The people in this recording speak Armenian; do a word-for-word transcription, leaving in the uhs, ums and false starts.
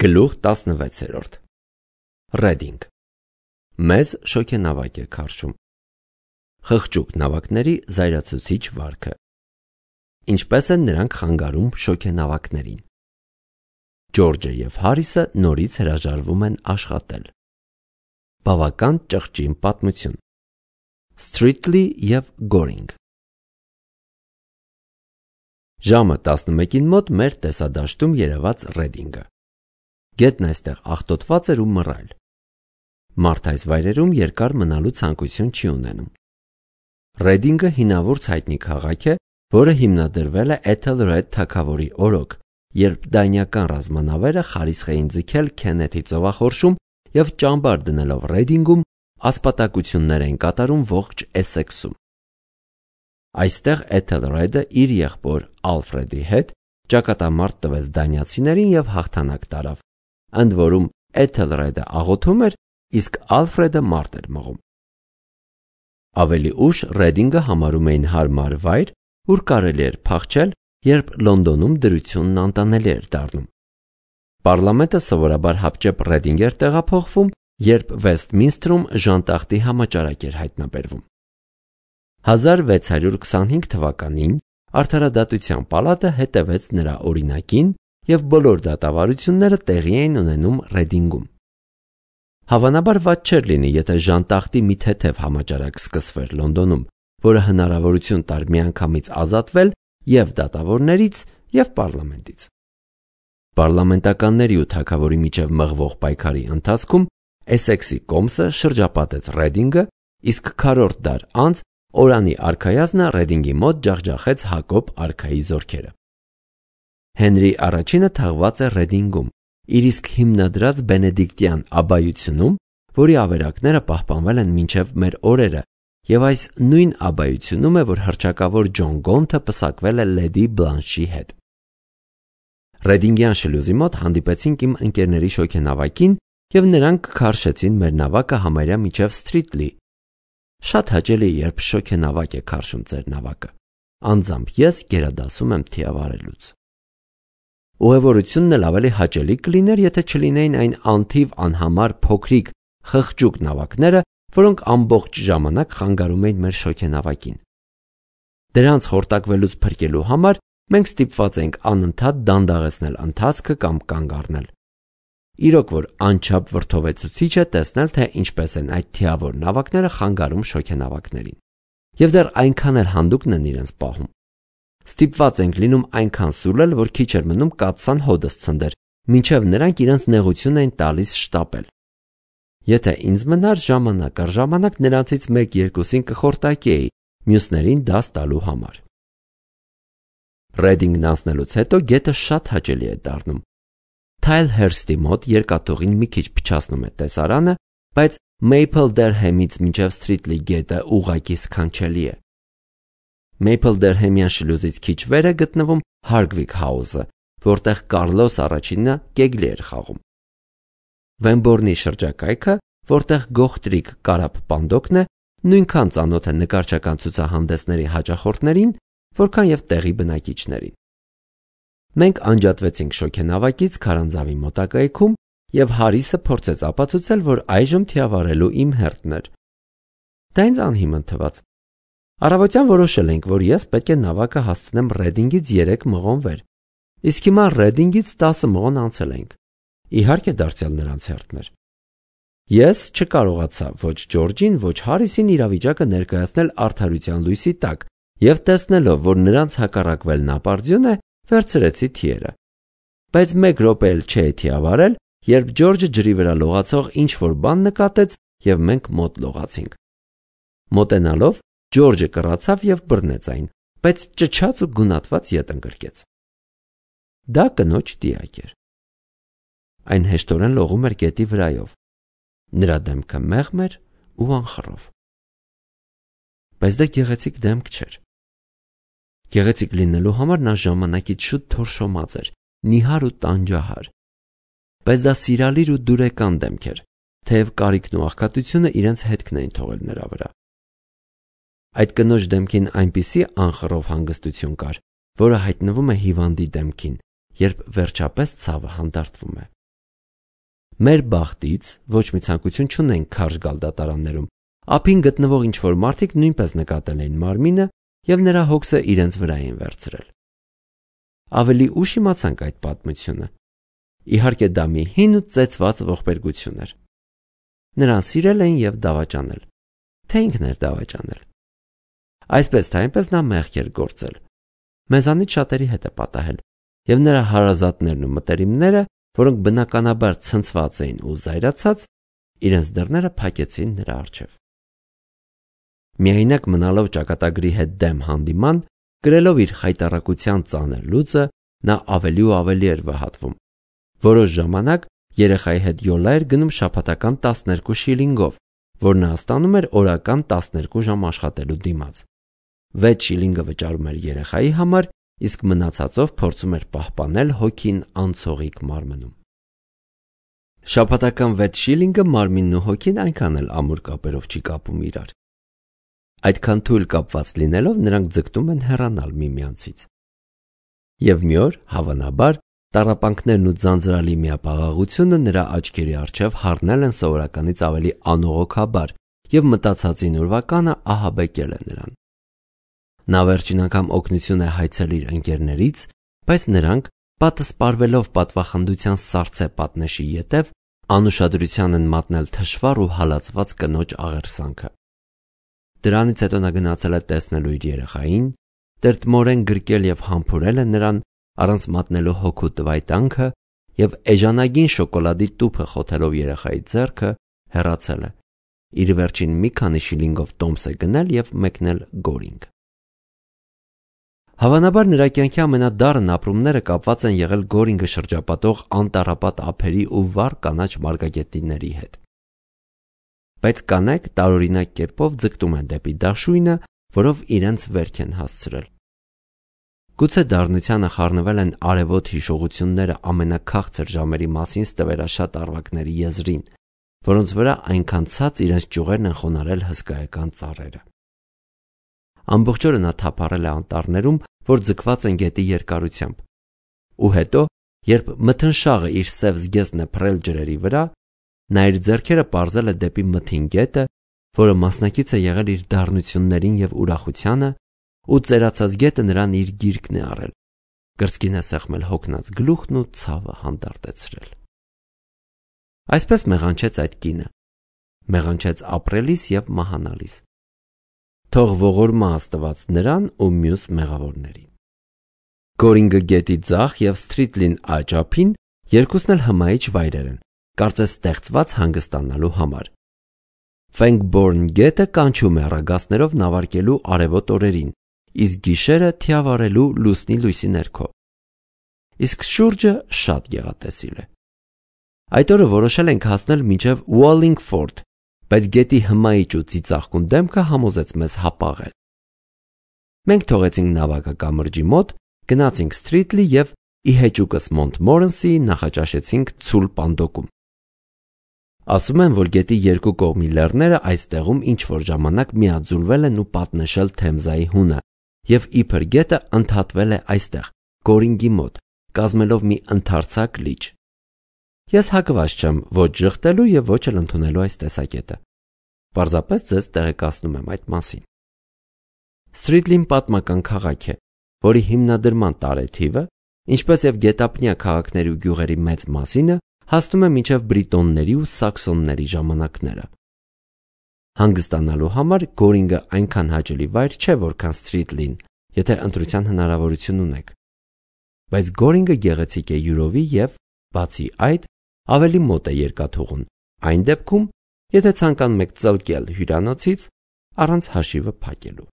Գլուխ տասնվեցերորդ Ռեդինգ Մեզ շոգենավակ է քարշում Խղճուկ նավակների զայրացուցիչ վարքը Ինչպես են նրանք խանգարում շոգենավակներին Ջորջը և Հարիսը նորից հրաժարվում են աշխատել Բավական ճղճին պատմություն Սթրիթլի և Գորինգ Ժամը տասնմեկին մոտ մեր տեսադաշտում երևաց Ռեդինգը Գետն այստեղ աղտոտված էր ու մռայլ Մարդ այս վայրերում երկար մնալու ցանկություն չի ունենում Ռեդինգը հինավուրց հայտնի քաղաք է, որը հիմնադրվել է Էթելրեդ թագավորի օրոք, երբ դանիական ռազմանավերը խարիսխ էին ձգել Քենեթի ծովախորշում և ճամբար դնելով Ռեդինգում ասպատակություններ էին կատարում ողջ Էսեքսում։ Այստեղ Էթելրեդը իր եղբոր Ալֆրեդի հետ ճակատամարտ տվեց դանիացիներին և հաղթանակ տարավ, ընդ որում Էթելրեդը աղոթում էր, իսկ Ալֆրեդը մարդ էր մղում։ Ավելի ուշ Ռեդինգը համարում էին հարմար վայր, ուր կարելի էր փախչել, երբ Լոնդոնում դրությունն անտանելի էր դառնում։ Պառլամենտը սովորաբար հապճեպ Ռեդինգ էր տեղափոխվում, երբ Վեսթմինսթրում ժանտախտի համաճարակ էր հայտնաբերվում։ հազար վեց հարյուր քսանհինգ թվականին Արդարադատության պալատը հետևեց նրա օրինակին և բոլոր դատավարությունները տեղի էին ունենում Ռեդինգում։ Հավանաբար վատ չէր լինի, եթե ժանտախտի մի թեթև համաճարակ սկսվեր Լոնդոնում, որը հնարավորություն տար միանգամից ազատվել և դատավորներից, և պառլամենտից։ Պառլամենտականների ու թագավորի միջև մղվող պայքարի ընթացքում Էսեքսի կոմսը շրջապատեց Ռեդինգը, իսկ քառորդ դար անց Օրանի արքայազնը Ռեդինգի մոտ ջախջախեց Հակոբ արքայի զորքերը։ Հենրի առաջինը թաղված է Ռեդինգում, իր իսկ հիմնադրած բենեդիկտյան աբբայությունում, որի ավերակները պահպանվել են մինչև մեր օրերը, և այս նույն աբբայությունում է, որ հռչակավոր Ջոն Գոնթը պսակվել է Լեդի Բլանշի հետ։ Ռեդինգյան շլյուզի մոտ հանդիպեցինք իմ ընկերների շոգենավակին և նրանք քարշեցին մեր նավակը համարյա մինչև Սթրիթլի։ Շատ հաճելի է, երբ շոգենավակ է քարշում ձեր նավակը, անձամբ ես գերադասում եմ թիավարելուց։ Ուղևորությունն էլ ավելի հաճելի կլիներ, եթե չլինեին այն անթիվ անհամար փոքրիկ խղճուկ նավակները, որոնք ամբողջ ժամանակ խանգարում էին մեր շոգենավակին։ Դրանց խորտակվելուց փրկելու համար մենք ստիպված էինք անընդհատ դանդաղեցնել ընթացքը կամ կանգ առնել։ Իրոք որ անչափ վրդովեցուցիչ է տեսնել, թե ինչպես են այդ թիավոր նավակները խանգարում շոգենավակներին։ Եվ դեռ այնքան էլ հանդուգն են իրենց պահում։ Ստիպված ենք լինում այնքան սուլել, որ քիչ էր մնում կաթսան հոդս ցնդեր, մինչև նրանք իրենց նեղություն էին տալիս շտապել։ Եթե ինձ մնար ժամանակ առ ժամանակ նրանցից մեկ-երկուսին կխորտակեի, մյուսներին դաս տալու համար։ Ռեդինգն անցնելուց հետո գետը շատ հաճելի է դառնում։ Թայլհերստի մոտ երկաթուղին մի քիչ փչացնում է տեսարանը, բայց Մեյփլդերհեմից մինչև Սթրիթլի գետը ուղղակի սքանչելի է։ Մեյփլդերհեմյան շլյուզից քիչ վեր է գտնվում Հարգվիկ Հաուսը, որտեղ Կարլոս առաջինը կեգլի էր խաղում։ Վեմբորնի շրջակայքը, որտեղ գողտրիկ կարապ պանդոկն է, նույնքան ծանոթ է նկարչական ցուցահանդեսների հաճախորդներին, որքան և տեղի բնակիչներին։ Մենք անջատվեցինք շոգենավակից քարանձավի մոտակայքում, և Հարիսը փորձեց ապացուցել, որ այժմ թիավարելու իմ հերթն էր։ Դա ինձ անհիմն թվաց։ Առավոտյան որոշել էինք, որ ես պետք է նավակը հասցնեմ Ռեդինգից երեք մղոն վեր, իսկ հիմա Ռեդինգից տասը մղոն անցել էինք։ Իհարկե դարձյալ նրանց հերթն էր։ Ես չկարողացա ոչ Ջորջին, ոչ Հարիսին իրավիճակը ներկայացնել արդարության լույսի տակ, և տեսնելով, որ նրանց հակառակվելն ապարդյուն է, վերցրեցի թիերը։ Բայց մեկ րոպե էլ չէի թիավարել, երբ Ջորջը ջրի վրա լողացող ինչ-որ բան նկատեց, և մենք մոտ լողացինք։ Մոտենալով Ջորջը կռացավ և բռնեց այն, բայց ճչաց ու գունատված ետ ընկրկեց։ Դա կնոջ տիակ էր։ Այն հեշտորեն լողում էր գետի վրայով։ Նրա դեմքը մեղմ էր ու անխռով։ Բայց դա գեղեցիկ դեմք չէր։ Գեղեցիկ լինելու համար նա ժամանակից շուտ թորշոմած էր, նիհար ու տանջահար։ Բայց դա սիրալիր ու դուրեկան դեմք էր, թեև կարիքն ու աղքատությունը իրենց հետքն էին թողել նրա վրա։ Այդ կնոջ դեմքին այնպիսի անխռով հանգստություն կար, որը հայտնվում է հիվանդի դեմքին, երբ վերջապես ցավը հանդարտվում է։ Մեր բախտից ոչ մի ցանկություն չունենք քարշ գալ դատարաններում, ափին գտնվող ինչ-որ մարդիկ նույնպես նկատել էին մարմինը և նրա հոգսը իրենց վրա էին վերցրել։ Ավելի ուշ իմացանք այդ պատմությունը։ Իհարկե դա մի հին ու ծեծված ողբերգություն էր։ Նրան սիրել էին և դավաճանել, թե ինքն էր դավաճանել։ Այսպես թե այնպես նա մեղք էր գործել։ Մեզանից շատերի հետ է պատահել, և նրա հարազատներն ու մտերիմները, որոնք բնականաբար ցնցված էին ու զայրացած, իրենց դռները փակեցին նրա առջև։ Միայնակ մնալով ճակատագրի հետ դեմ հանդիման, կրելով իր խայտառակության ծանր լուծը, նա ավելի ու ավելի էր վհատվում։ Որոշ ժամանակ երեխայի հետ յոլա էր գնում շաբաթական տասներկու շիլինգով, որ նա ստանում էր օրական տասներկու ժամ աշխատելու դիմաց։ վեց շիլինգը վճարում էր երեխայի համար, իսկ մնացածով փորձում էր պահպանել հոգին անցողիկ մարմնում։ Շաբաթական վեց շիլինգը մարմինն ու հոգին այնքան էլ ամուր կապերով չի կապում իրար։ Այդքան թույլ կապված լինելով նրանք ձգտում են հեռանալ միմյանցից։ Եվ մի օր, հավանաբար, տառապանքներն ու ձանձրալի միապաղաղությունը նրա աչքերի առջև հառնել են սովորականից ավելի անողոքաբար և մտածածին ուրվականը ահաբեկել է նրան։ Նա վերջին անգամ օգնություն է հայցել իր ընկերներից, բայց նրանք, պատը սպառվելով պատվախնդության սառցե պատնեշի ետև, անուշադրության են մատնել թշվառ ու հալածված կնոջ աղերսանքը։ Դրանից հետո նա գնացել է տեսնելու իր երեխային, տրտմորեն գրկել և համբուրել է նրան, առանց մատնելու հոգու տվայտանքը, և էժանագին շոկոլադի տուփը խոթելով երեխայի ձեռքը, հեռացել է, իր վերջին մի քանի շիլինգով տոմս է գնել և մեկնել Գորինգ։ Հավանաբար նրա կյանքի ամենադառն ապրումները կապված են եղել Գորինգը շրջապատող անտառապատ ափերի ու վառ կանաչ մարգագետինների հետ։ Բայց կանայք տարօրինակ կերպով ձգտում են դեպի դաշույնը, որով իրենց վերք են հասցրել։ Գուցե դառնությանը խառնվել են արևոտ հիշողությունները ամենաքաղցր ժամերի մասին ստվերաշատ առվակների եզրին, որոնց վրա այնքան ցած իրենց ճյուղերն են խոնարհել հսկայական ծառերը։ Ամբողջ օրը նա թափառել է անտառներում, որ ձգված են գետի երկարությամբ, ու հետո, երբ մթնշաղը իր սև զգեստն է փռել ջրերի վրա, նա իր ձեռքերը պարզել է դեպի մթին գետը, որը մասնակից է եղել իր դառնություններին և ուրախությանը, ու ծերացած գետը նրան իր գիրկն է առել, կրծքին է սեղմել հոգնած գլուխն ու ցավը հանդարտեցրել։ Այսպես մեղանչեց այդ կինը, մեղանչեց ապրելիս և մահանալիս։ Թող ողորմա Աստված նրան ու մյուս մեղավորներին։ Գորինգը գետի ձախ և Սթրիթլին աջ ափին երկուսն էլ հմայիչ վայրեր են, կարծես ստեղծված հանգստանալու համար։ Ֆենգբորն գետը կանչում է առագաստներով նավարկելու արևոտ օրերին, իսկ գիշերը թիավարելու լուսնի լույսի ներքո։ Իսկ շուրջը շատ գեղատեսիլ է։ Այդ օրը որոշել ենք հասնել մինչև Wallingford, բայց գետի հմայիչ ու ծիծաղկուն դեմքը համոզեց մեզ հապաղել։ Մենք թողեցինք նավակը կամրջի մոտ, գնացինք Սթրիթլի և ի հեճուկս Մոնտմորենսի նախաճաշեցինք ցուլ պանդոկում։ Ասում են, որ գետի երկու կողմի լեռները այստեղում ինչ-որ ժամանակ միաձուլվել են ու պատնշել Թեմզայի հունը, և իբր գետը ընդհատվել է այստեղ, Գորինգի մոտ, կազմելով մի ընդարձակ լիճ։ Ես հակված չեմ ոչ ժխտելու և ոչ էլ ընդունելու այս տեսակետը։ Պարզապես ձեզ տեղեկացնում եմ այդ մասին։ Սթրիթլին պատմական քաղաք է, որի հիմնադրման տարեթիվը, ինչպես և գետափնյա քաղաքների ու գյուղերի մեծ մասինը, հասնում է մինչև բրիտոնների ու սաքսոնների ժամանակները։ Հանգստանալու համար Գորինգը այնքան հաճելի վայր չէ, որքան Սթրիթլին, եթե ընտրության հնարավորություն ունեք։ Բայց Գորինգը գեղեցիկ է յուրովի և, բացի այդ, ավելի մոտ է երկաթուղուն, այն դեպքում, եթե ցանկանում եք ծլկել հյուրանոցից առանց հաշիվը փակելու։